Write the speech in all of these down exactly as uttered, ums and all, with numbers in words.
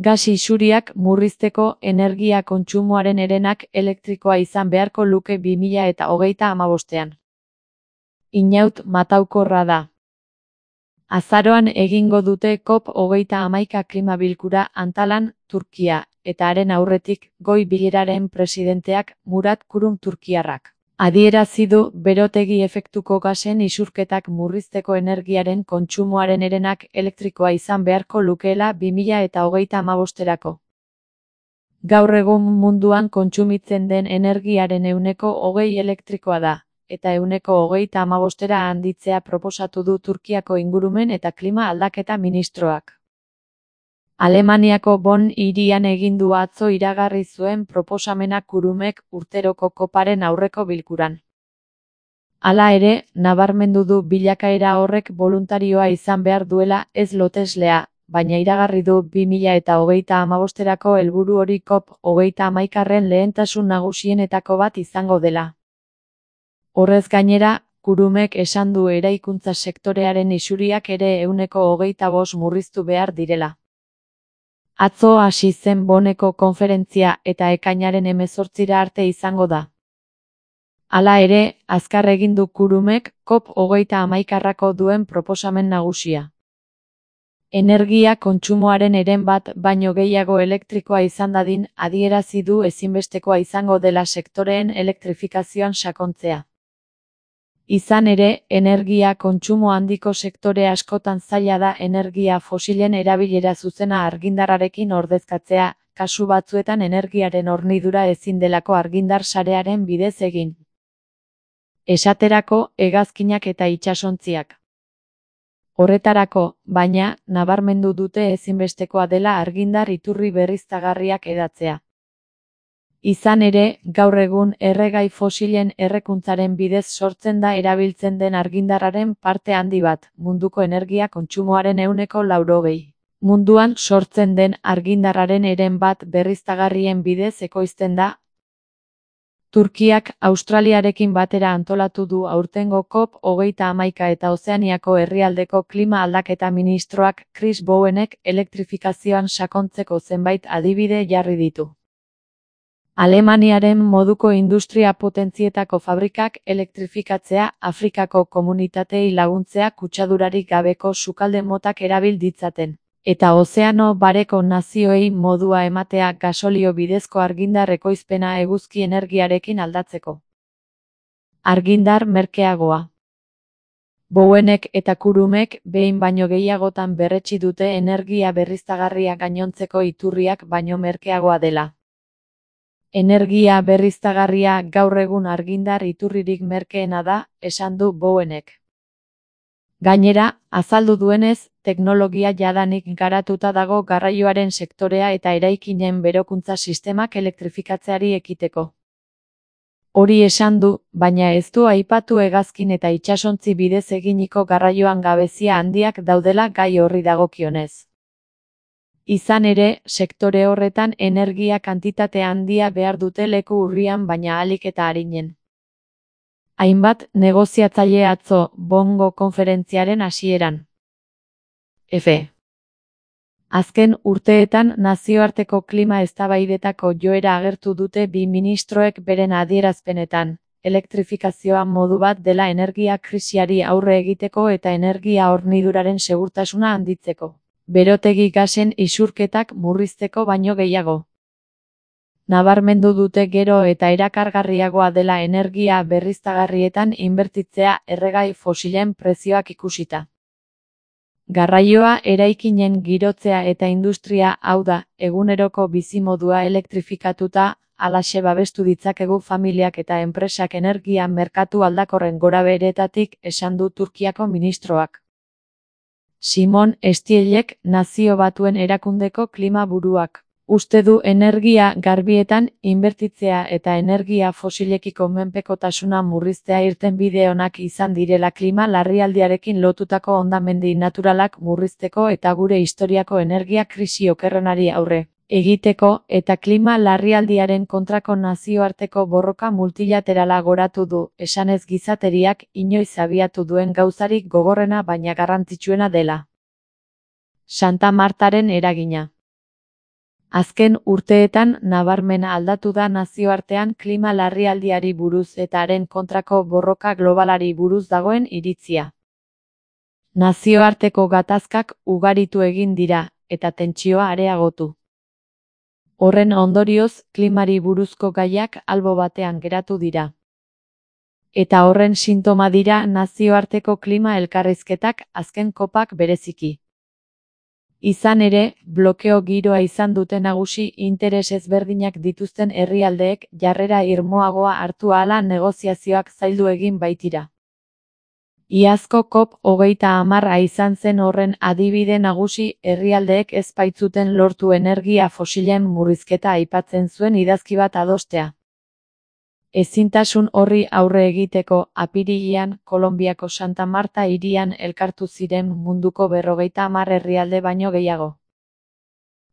Gas isuriak murrizteko energia kontsumoaren herenak elektrikoa izan beharko luke bi mila eta hogeita hamabostean. Inaut mataukorra da. Azaroan egingo dute COP hogeita hamaika klima bilkura Antalan, Turkia, eta haren aurretik goi bileraren presidenteak Murat Kurum turkiarrak adierazi du berotegi efektuko gasen isurketak murrizteko energiaren kontsumoaren herenak elektrikoa izan beharko lukeela bi mila eta hogeita hamabosterako. Gaur egun munduan kontsumitzen den energiaren ehuneko hogei elektrikoa da, eta ehuneko hogeita hamabostera handitzea proposatu du Turkiako ingurumen eta klima aldaketa ministroak. Alemaniako Bonn hirian egin du atzo iragarri zuen proposamena Kurumek urteroko koparen aurreko bilkuran. Hala ere, nabarmendu du bilakaera horrek boluntarioa izan behar duela ez loteslea, baina iragarri du bi mila eta hogeita hamabosterako helburu hori COP hogeita hamaikagarren lehentasun nagusienetako bat izango dela. Horrez gainera, Kurumek esan du eraikuntza sektorearen isuriak ere ehuneko hogeita bost murriztu behar direla. Atzo hasi zen Bonneko konferentzia eta ekainaren hemezortzira arte izango da. Hala ere, azkar egin du Kurumek COP hogeita hamaikagarrako duen proposamen nagusia. Energia kontsumoaren heren bat baino gehiago elektrikoa izan dadin adierazi du ezinbestekoa izango dela sektoreen elektrifikazioan sakontzea. Izan ere, energia kontsumo handiko sektore askotan zaila da energia fosilen erabilera zuzena argindarrarekin ordezkatzea, kasu batzuetan energiaren hornidura ezin delako argindar sarearen bidez egin. Esaterako, hegazkinak eta itsasontziak. Horretarako, baina, nabarmendu dute ezinbestekoa dela argindar iturri berriztagarriak hedatzea. Izan ere, gaur egun erregai fosilen errekuntzaren bidez sortzen da erabiltzen den argindarraren parte handi bat, munduko energia kontsumoaren ehuneko laurogei. Munduan sortzen den argindarraren heren bat berriztagarrien bidez ekoizten da. Turkiak Australiarekin batera antolatu du aurtengo COP hogeita hamaika eta Ozeaniako herrialdeko klima aldaketa ministroak Chris Bowenek elektrifikazioan sakontzeko zenbait adibide jarri ditu. Alemaniaren moduko industria potentzietako fabrikak elektrifikatzea, Afrikako komunitatei laguntzea kutsadurarik gabeko sukalde motak erabil ditzaten, eta ozeano bareko nazioei modua ematea gasolio bidezko argindar ekoizpena eguzki energiarekin aldatzeko. Argindar merkeagoa. Bowenek eta Kurumek behin baino gehiagotan berretsi dute energia berriztagarria gainontzeko iturriak baino merkeagoa dela. Energia berriztagarria gaur egun argindar iturririk merkeena da, esan du Bowenek. Gainera, azaldu duenez, teknologia jadanik garatuta dago garraioaren sektorea eta eraikinen berokuntza sistemak elektrifikatzeari ekiteko. Hori esan du, baina ez du aipatu hegazkin eta itsasontzi bidez eginiko garraioan gabezia handiak daudela gai horri dagokionez. Izan ere, sektore horretan energia kantitate handia behar dute leku urrian baina ahalik eta arinen. Hainbat negoziatzaile atzo Bonngo konferentziaren hasieran. F. Azken urteetan nazioarteko klima eztabaidetako joera agertu dute bi ministroek beren adierazpenetan, elektrifikazioa modu bat dela energia krisiari aurre egiteko eta energia horniduraren segurtasuna handitzeko. Berotegi gasen isurketak murrizteko baino gehiago. Nabarmendu dute gero eta erakargarriagoa dela energia berriztagarrietan inbertitzea erregai fosilen prezioak ikusita. Garraioa, eraikinen girotzea eta industria, hau da, eguneroko bizimodua elektrifikatuta, halaxe babestu ditzakegu familiak eta enpresak energia merkatu aldakorren gorabeheretatik, esan du Turkiako ministroak. Simon Estielek, Nazio Batuen Erakundeko klima buruak. Uste du energia garbietan inbertitzea eta energia fosilekiko menpekotasuna murriztea irtenbide onak izan direla klima larrialdiarekin lotutako hondamendi naturalak murrizteko eta gure historiako energia krisi okerrenari aurre egiteko eta klima larrialdiaren kontrako nazioarteko borroka multilaterala goratu du, esanez gizateriak inoiz abiatu duen gauzarik gogorrena baina garrantzitsuena dela. Santa Martaren eragina. Azken urteetan nabarmena aldatu da nazioartean klima larrialdiari buruz eta haren kontrako borroka globalari buruz dagoen iritzia. Nazioarteko gatazkak ugaritu egin dira, eta tentsioa areagotu. Horren ondorioz, klimari buruzko gaiak albo batean geratu dira. Eta horren sintoma dira nazioarteko klima elkarrizketak, azken kopak bereziki. Izan ere, blokeo giroa izan dute nagusi interes ezberdinak dituzten herrialdeek jarrera irmoagoa hartu ahala negoziazioak zaildu egin baitira. Iazko kop hogeita hamarra izan zen horren adibide nagusi herrialdeek ez baitzuten lortu energia fosilen murrizketa aipatzen zuen idazki bat adostea. Ezintasun horri aurre egiteko, apirilean Kolonbiako Santa Marta hirian elkartu ziren munduko berrogeita hamar herrialde baino gehiago.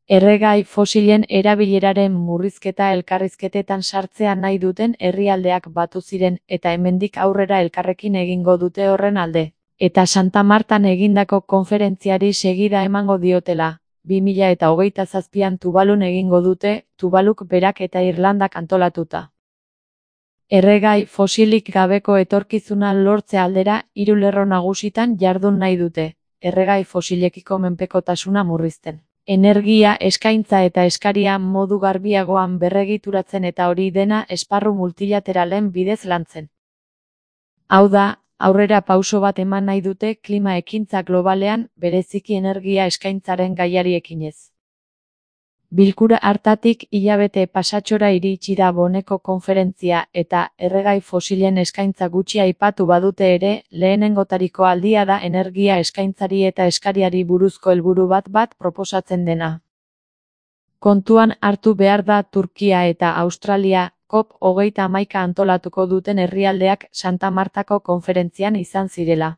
Erregai fosilen erabileraren murrizketa elkarrizketetan sartzea nahi duten herrialdeak batu ziren eta hemendik aurrera elkarrekin egingo dute horren alde. Eta Santa Martan egindako konferentziari segida emango diotela, bi mila eta hogeita zazpian Tuvalun egingo dute, Tuvaluk berak eta Irlandak antolatuta. Erregai fosilik gabeko etorkizuna lortze aldera hiru lerro nagusitan jardun nahi dute, erregai fosilekiko menpekotasuna murrizten. Energia eskaintza eta eskaria modu garbiagoan berregituratzen eta hori dena esparru multilateralen bidez lantzen. Hau da, aurrera pauso bat eman nahi dute klima ekintza globalean, bereziki energia eskaintzaren gaiari ekinez. Bilkura hartatik hilabete pasatxora iritsi da Boneko konferentzia eta erregai fosilen eskaintza gutxi aipatu badute ere, lehenengotariko aldia da energia eskaintzari eta eskariari buruzko helburu bat bat proposatzen dena. Kontuan hartu behar da Turkia eta Australia, kop hogeita hamaika antolatuko duten herrialdeak Santa Martako konferentzian izan zirela.